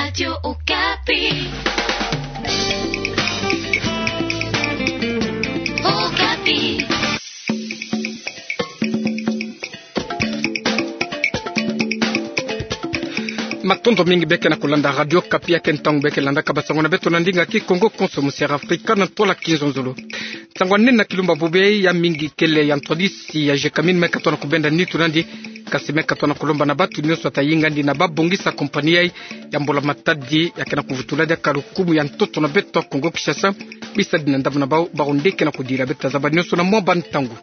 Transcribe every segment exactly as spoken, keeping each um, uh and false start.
Radio Okapi. Okapi. Matondo mingi beke na kulanda Radio Okapi, ya ke ntangu beke landaka basango na beto na ndinga Kikongo konso mu Sierra Africa na ntwala kinzonzolo. Nsangu ya nene na kilumbu ya bubu yai, ya mingi kele ya ntwadisi ya Gécamines me katona kubenda nitu nandi, kasi me katona kulomba na batu nyonso ata yinga ndi na babongisa kompani yai ya mbula-matadi, ya ke na kuvutula diaka lukumu ya ntoto na beto ya Kongo-Kinshasa, bisadi na ndambu na bau, bau nde ke na kudila. Beta zaba nyonso na mwa bantangu.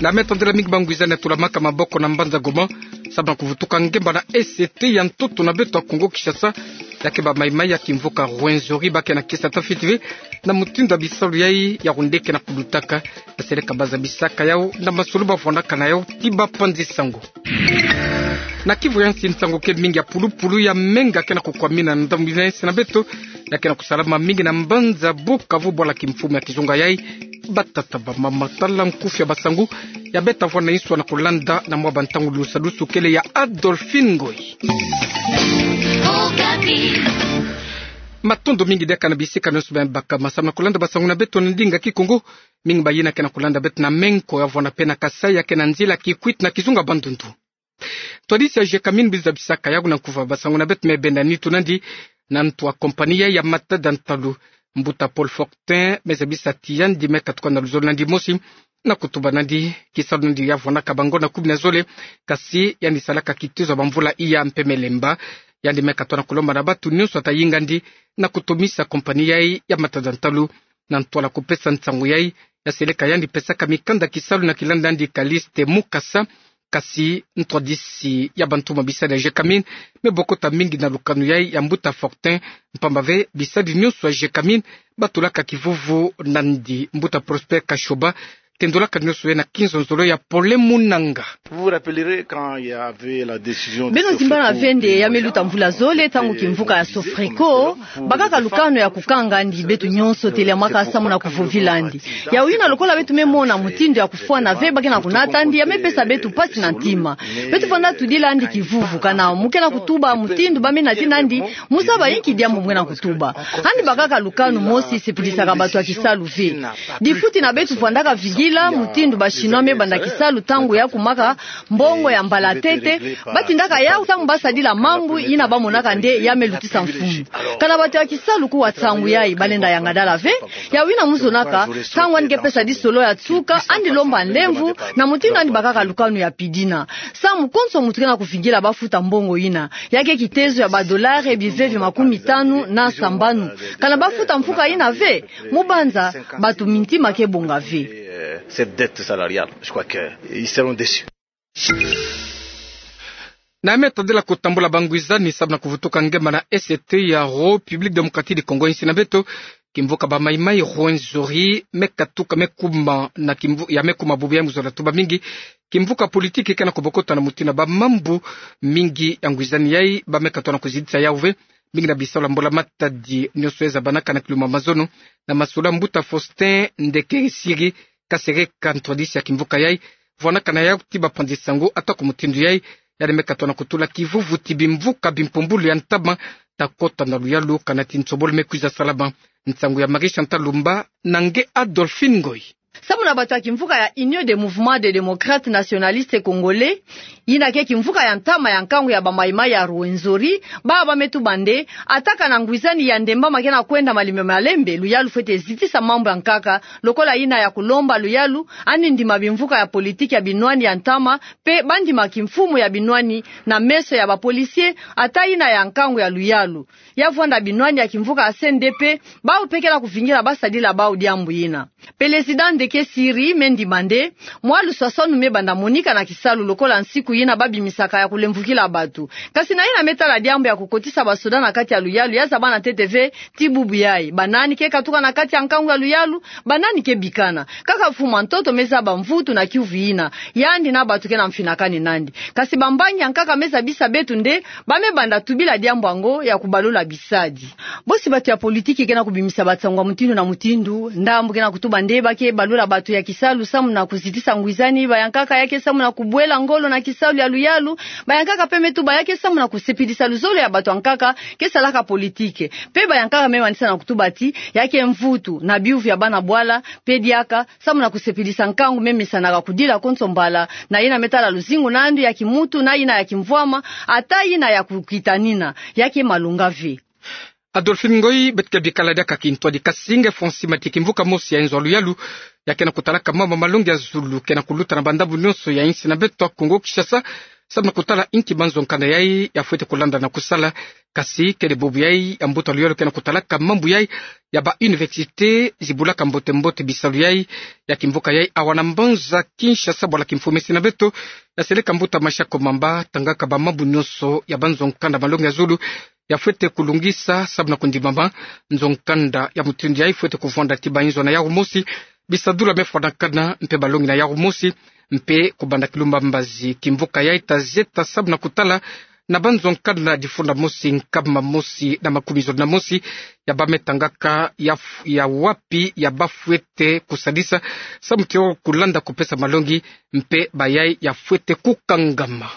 Na me tondela mingi bangwizani ya tulamaka maboko na mbanza Goma, sababu na kuvutuka ngemba na E C T ya ntoto na beto ya Kongo-Kinshasa, ya ke ba maïmaï ya kimvuka Rwenzori ba ke na kisa ta fiti ve na mutindu ya bisalu yai ya ru nde ke na kulutaka, ya seleka ba zabisaka yau na masolo ba vwandaka na yau ti bapanzi sango. Na Kivu ya nsi, nsangu ke mingi ya pulupulu ya menga ke na kukwamina na ndambu ina ya nsi na beto, ya ke na kusalama mingi na mbanza Bukavu, bwala kimfumu ya kizunga yai. Batata, bamama, tala nkufi ya basangu, ya beta vwanda nswa na kulanda na mwa bantangu. Lusadusu kele ya Adolphine Ngoy. Matondo mingi diaka na bisika nyonso bia baka masamu na kulanda basango na beto na ndinga Kikongo. Mingi bayina ke na kulanda beto na menko ya vwanda pe na Kasaï, ya ke na nzila Kikwit na kizunga Bandundu. Ntwadisi ya Gécamines bi zabisaka yau na nkufa basango na beto me benda nitu nandi, na ntu ya kompani yai ya matada ntalu. Mbuta Paul Fortin me zabisa ti yandi me katuka na luzolo nandi mosi, na kutuba nandi kisalu nandi ya vwandaka bango na kumi na zole, kasi yandi salaka kitezo ya bamvula iya mpe me lemba. Yandi me katona kulomba na batu nyonso ata yinga ndi na kutomisa kompani yai ya matada ntalu. Na ntwala kupesa nsangu yai, ya seleka yandi pesaka mikanda kisalu na kilanda ndi Callixte Mukasa, kasi ntwadisi ya bantoma bisadi ya Gécamines me bokota mingi na lukanu yai ya mbuta Fortin, mpamba ve bisadi nyonso ya Gécamines batulaka kivuvu nandi. Mbuta Prosper Kashoba tendolaka nyonso ye na kinzonzolo ya Pole Munanga. Vous vous rappellerez quand il y avait la décision de Beno zimbana Sofreco, ve nde ya me luta mvula zole, ntangu kimvuka ya Sofreco bakaka lukanu ya kukanga ndi beto nyonso teliamaka samu na kuvovila ndi. Yau yina lokola beto me mona mutindu ya kufwana ve ba ke na kunata ndi, ya me pesa beto mpasi na ntima. Beto vwanda tudila ndi kivuvu kana mu ke na kutuba mutindu ba me natina ndi, mu zaba inki diambu mu ke na kutuba. Andi bakaka lukanu mosi sepilisaka batu ya kisalu ve. Difuti na beto vwandaka vingila mutindu ba Chinois me banda kisalu ntangu ya kumaka mbongo ya mbala ntete, ba tindaka yau ntangu ba sadila mambu yina ba monaka nde ya me lutisa mfunu. Kana batu ya kisalu kuwa nsangu yai, ba lenda yanga dala ve. Yau yina mu zonaka, ntangu andi ke pesa di solo ya nsuka, andi lomba nlemvo na mutindu andi bakaka lukanu ya pidina. Samu konso muntu ke na kuvingila ba futa mbongo yina. Ya ke kitezo ya ba dollars bive bia makumi tanu na sambanu. Kana ba futa mfuka yina ve, mu banza batu mintima ke bonga ve. Euh, cette dette salariale, je crois que ils seront déçus. Na me tadila kutambula bangwizani samu na kuvutuka ngemba na E C T ya République Démocratique du Congo, insi na beto. Kimvuka ba maïmaï Rwenzori me katuka me kuma na kimvu-, ya me kuma bubu ya mu zola tuba mingi. Kimvuka politiki ke na kubokota na mutindu ya ba mambu mingi ya ngwizani yai ba me katona kuzidisa yau ve. Mingi na bisalu ya mbula-matadi nyonso ya zabanaka na kilumbu ya mazono, na masolo ya mbuta Faustin Ndekesiri, kasereka ntwadisi ya kimvuka yai, vwanakana yau ti bapanzi sango, atako mutindu yai, yandi me katona kutula kivuvu ti bimvuka bimpumbulu ya ntama ta kota na luyalu kana ti nsobolo me kwiza salama. Nsangu ya Marie Chantal Lumba na nge Adolphine Ngoy. Samu na bato ya kimvuka ya Union des Mouvements des Démocrates Nationalistes Congolais, yina ke kimvuka ya ntama ya nkangu ya ba maïmaï ya Rwenzori, baba ba me tuba nde, ata kana ngwizani ya ndemba ma ke na kwenda malembe malembe, luyalu fwete zitisa mambu ya nkaka, lokola yina ya kulomba luyalu, andi ndima bimvuka ya politiki ya binwani ya ntama, mpe ba ndima kimfumu ya binwani na meso ya ba policiers, ata yina ya nkangu ya luyalu. Ya vwanda binwani ya kimvuka ya C N D P, bau mpe ke na kuvingila ba sadila bau diambu yina. Pelezida Ndekesiri me ndima nde, mwa luswaswanu me banda monika na kisalu lokola nsiku yina ba bimisaka ya kulemvukila bato. Kasi na yina me tala diambu ya kukotisa basoda na kati ya luyalu, ya zabana ntete ve ti bubu yai. Banani ke katuka na kati ya nkangu ya luyalu, banani ke bikana. Kaka mfumu ya ntoto me zaba mvutu na kiuvu yina, yandi na bato ke na mfinakani nandi. Kasi bambangi ya nkaka me zabisa beto nde, ba me banda tubila diambu yango ya kubalula bisadi. Bosi bato ya politiki ke na kubimisa bansangu ya mutindu na mutindu, ndambu ke na kutuba nde ba ke balula Lola bato ya kisalu samu na kuzitisa ngwizani, bayankaka ya ke samu na kubwela ngolo na kisalu ya luyalu, bayankaka pe me tuba ya ke samu na kusepelisa luzolo ya bato ya nkaka ke salaka politike. Pe bayankaka me manisa na kutuba ti ya ke mvutu na biyuvu ya bana bwala, pe diaka samu na kusepelisa nkangu me mesanaka kudila konso mbala, na yina me tala luzingu na ndu ya kimuntu, na yina ya kimvwama, ata yina ya kukitanina, ya ke malonga ve. Adolphine Ngoy, beto ke bikala diaka kintwadi. Kasi nge Francis Mati, kimvuka mosi ya inzo ya luyalu ya ke na kutalaka mambu ya malongi ya zulu ke na kuluta na bandambu nyonso ya insi na beto ya Kongo Kinshasa, samu na kutala inki banzo nkanda yai ya fwete kulanda na kusala. Kasi kele bubu yai ya mbuta luyalu ke na kutalaka mambu yai ya ba université zibulaka mbote mbote bisalu yai ya kimvuka yai awa na mbanza Kinshasa, bwala kimfumu esi na beto ya seleka mbuta Mashako Mamba tangaka ba mambu nyonso ya banzo nkanda malongi ya zulu ya fwete kulungisa samu na kundimama. Nzo nkanda ya mutindu yai fwete kuvwanda ti ba inzo na yawu mosi, bisadula me fwanakana mpe balongi na yawu mosi, mpe kubanda kilumba mbazi kimvuka yai ta zieta samu na kutala na banzo nkanda difunda mosi, nkama mosi na makumi zole na mosi ya ba me tangaka ya f-, ya wapi ya ba fwete kusadisa samu tio kulanda kupesa malongi, mpe bayai ya fwete kukangama.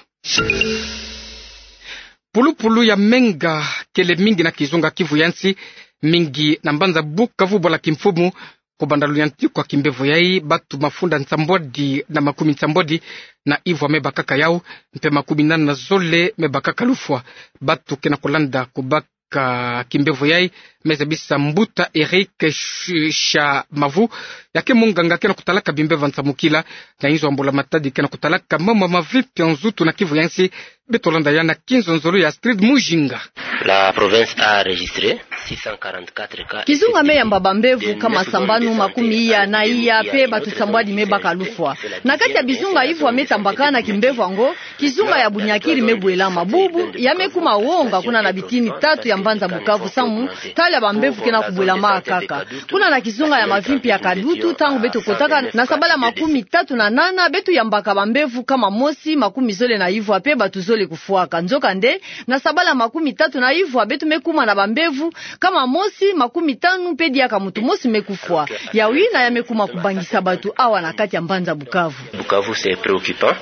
Pulupulu ya menga kele mingi na kizunga Kivu ya nsi, mingi na mbanza Bukavu, bwala kimfumu, kubanda luyantiku ya kimbevo yai, batu mafunda nsambwadi na makumi nsambwadi na ivwa me bakaka yawu, mpe makumi nana na zole me bakaka lufwa. Batu ke na kulanda kubaka ka kimbevo yai, me zabisa mbuta Eric Sh-, Shamavu, ya ke munganga ke na kutalaka bimbevo ya nsamukila na inzo ya mbula-matadi ke na kutalaka mambu ya mavimpi ya nzutu na Kivu ya nsi. Beto landa ya na kinzonzolo ya Astrid Mujinga. La province a enregistré six cent quarante-quatre cas. Kizunga me yamba bambevo nkama sambanu makumi iya na iya, mpe batu sambwadi me baka lufwa. Na kati ya bizunga ivwa me tambakana kimbevo yango, kizunga ya Bunyakiri me bwelama. Bubu ya me kuma wonga kuna na bitini tatu ya mbanza Bukavu samu tala bambevo ke na kubwelama kaka. Kuna na kizunga ya mavimpi ya Kadutu, ntangu beto kotaka na sabala makumi tatu na nana, beto yambaka bambevo nkama mosi makumi zole na ivwa mpe batu zole kufwaka. Nzokande, na sabala makumi tatu na ivwa beto me kuma na bambevo nkama mosi makumi tanu mpe diaka mutu mosi me kufwa. Yawu yina ya me kuma kubangisa batu awa na kati ya mbanza Bukavu. Bukavu, c'est préoccupant.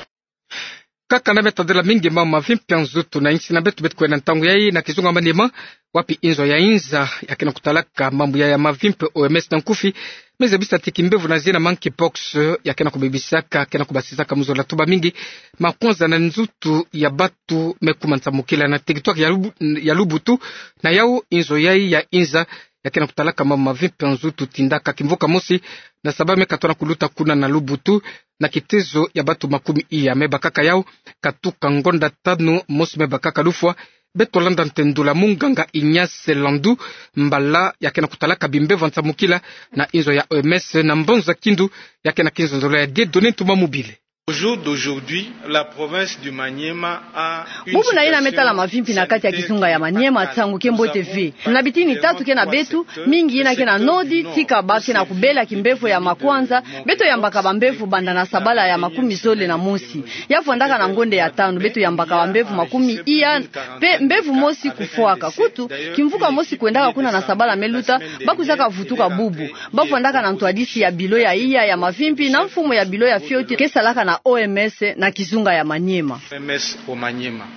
Kaka na me tadila mingi mambu ya mavimpi ya nzutu na insi na beto, beto kwenda ntangu yai na kizunga Maniema, wapi inzo ya inza ya ke na kutalaka mambu ya, ya mavimpi, O M S na nkufi, me zabisa ti kimbevo na zina monkeypox ya ke na kubebisaka, ke na kubasisaka mu zola tuba mingi makonza na nzutu ya batu me kuma nsamukila na territoire ya Lubu-, ya Lubutu. Na yawu inzo yai ya inza ya ke na kutalaka mambu ya mavimpi ya nzutu tindaka kimvuka mosi na saba me katona kuluta kuna na Lubutu, na kitezo ya batu makumi iya me bakaka yawu, katuka ngonda tanu mosi me bakaka lufwa. Beto landa ntendula munganga Ignace Landu, mbala ya ke na kutalaka bimbevo ya nsamukila na inzo ya O M S na mbanza Kindu, ya ke na kinzonzolo ya Dieudonné Ntumwa Mobile. Au jour d'aujourd'hui, la province du Maniema a une situation sanitaire très préoccupante. Bubu na yina me tala mavimpi na kati ya kizunga ya Maniema, nsangu ke mbote ve. Na bitini tatu ke na beto, mingi yina ke na nodi, tika ba ke na kubela kimbevo ya makwanza, beto yambaka bambevo banda na sabala ya makumi zole na mosi. Ya vwandaka na ngonda ya tanu, beto yambaka bambevo makumi iya, mpe mbevo mosi kufwaka. Kutu, kimvuka mosi kwendaka kuna na sabala me luta, ba kwizaka vutuka bubu. Ba vwandaka na ntwadisi ya bilo ya iya ya mavimpi na mfumu ya bilo ya fioti ke salaka na O M S na kizunga ya Maniema. O M S au Maniema.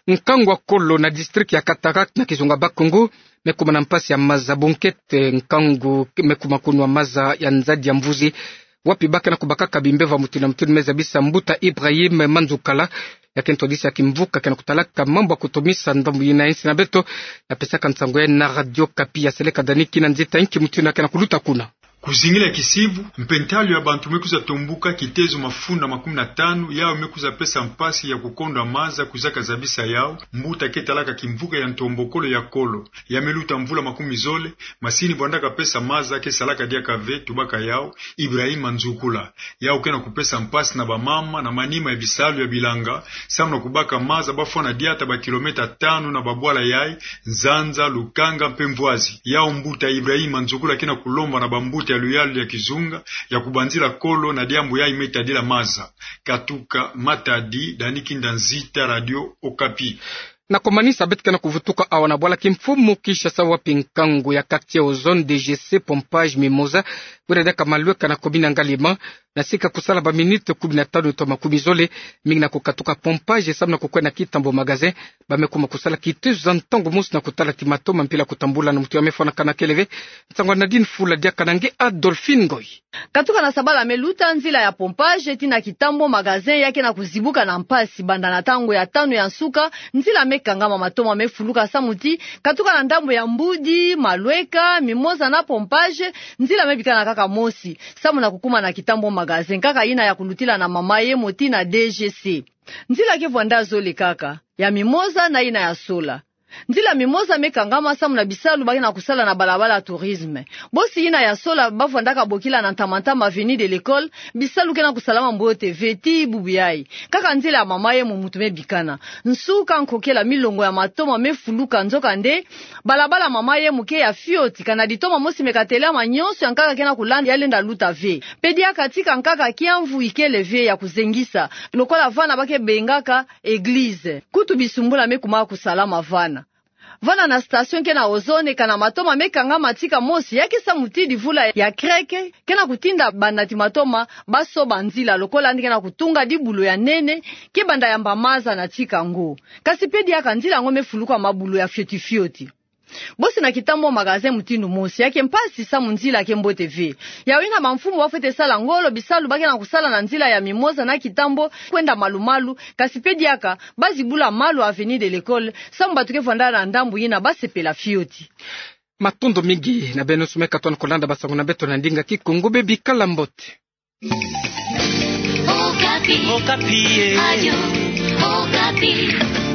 Nkangu wa kolo na district ya Katarak na kizunga Bas-Congo me kuma na mpasi ya maza. Bonkete nkangu me kuma kunwa maza ya nzadi ya mvuzi, wapi ba ke na kubakaka bimbevo ya mutindu na mutindu, me zabisa mbuta Ibrahim Manzukala, ya ke ntwadisi ya kimvuka ke na kutalaka mambu ya kutomisa ndambu yina ya insi na beto, ya pesaka nsangu yai na Radio Okapi. Ya seleka Dani Kinanzita inki mutindu ya ke na kuluta kuna. Kuzingila kisivu, mpe ntalu ya bantu me kwiza tombuka, kitezo mafunda makumi na tanu, yawu me kwiza pesa mpasi ya kukondwa maza kwizaka zabisa yawu mbuta ke talaka kimvuka ya ntombokolo ya kolo. Ya me luta mvula makumi zole, masini vwandaka pesa maza ke salaka diaka ve, tubaka yawu Ibrahim Manzukula. Yawu ke na kupesa mpasi na bamama na manima ya bisalu ya bilanga, samu na kubaka maza ba fwana diata ba kilomètre tanu na babwala yai, Nzanza, Lukanga mpe Mvwazi. Yawu mbuta Ibrahim Manzukula ke na kulomba na bambuta ya luyalu ya kizunga ya kubanzila kolo na diambu yai me tadila maza. Katuka Matadi, Dani Kinanzita, Radio Okapi. Na komanisa beto ke na kuvutuka awa na bwala kimfumu Kinshasa, wapi nkangu ya quartier ozone D G C pompage Mimosa, kwenda diaka Malweka na commune Ngaliema, na sika kusala ba minute kumi na tanu to makumi zole, mingi na kukatuka pompage samu na kukwenda kitambo magasin. Ba me kuma kusala kitezo za ntangu mosi na kutala ti matoma mpila kutambula na mutu ya me fwanakana kele ve. Nsangu ya Nadine Fula diaka na nge Adolphine Ngoy. Katuka na sabala me luta, nzila ya pompage tii na kitambo magasin ya ke na kuzibuka na mpasi banda na ntangu ya tanu ya nsuka. Nzila me kangama, matoma me fuluka samu ti katuka na ndambu ya Mbudi, Malweka, Mimosa na pompage, nzila me bikana kaka mosi samu na kukuma na kitambo magasin, kaka yina ya kulutila na Mama Yemo tii na D G C. Nzila ke vwanda zole kaka, ya Mimosa na yina ya Sola. Nzila Mimosa me kangama samu na bisalu ba ke na kusala na balabala Tourisme. Bosi yina ya Sola ba vwandaka bokila na ntama ntama Avenue de l'École, bisalu ke na kusalama mbote ve tii bubu yayi. Kaka nzila ya Mama Yemo mutu me bikana. Nsuka, nkokela, milongo ya matoma me fuluka, nzokande balabala Mama Yemo ke ya fioti, kana ditoma mosi me katêlama, nyonso ya nkaka ke na kulanda ya lenda luta ve. Pe diaka tika nkaka kiamvu ikele ve ya kuzengisa, lokola vana ba ke bengaka église. Kutu bisumbula me kuma kusalama vana. Vana na station ke na Ozone, kana matoma me kangama tika mosi, ya ke samu ti divula ya kreke ke na kutinda banati matoma ba soba nzila, lokola yandi ke na kutunga dibulo ya nene, ke banda yamba maza na tika ngo. Kasi pe diaka nzila ngo me fuluka mabulo ya fioti fioti. Bosi na kitambo magasin mutindu mosi, ya ke mpasi samu nzila ke mbote ve. Yawu yina bamfumu ba fwete sala ngolo bisalu ba ke na kusala na nzila ya Mimosa na kitambo kwenda malu malu, kasi pe diaka ba zibula malu Avenue de l'École, samu bantu ke vwanda na ndambu yina ba sepela fioti. Matondo mingi na beno nyonso me katuka na kulanda bansangu na beto na ndinga Kikongo, beno bikala mbote. Okapi. Okapi, eh. Radio Okapi.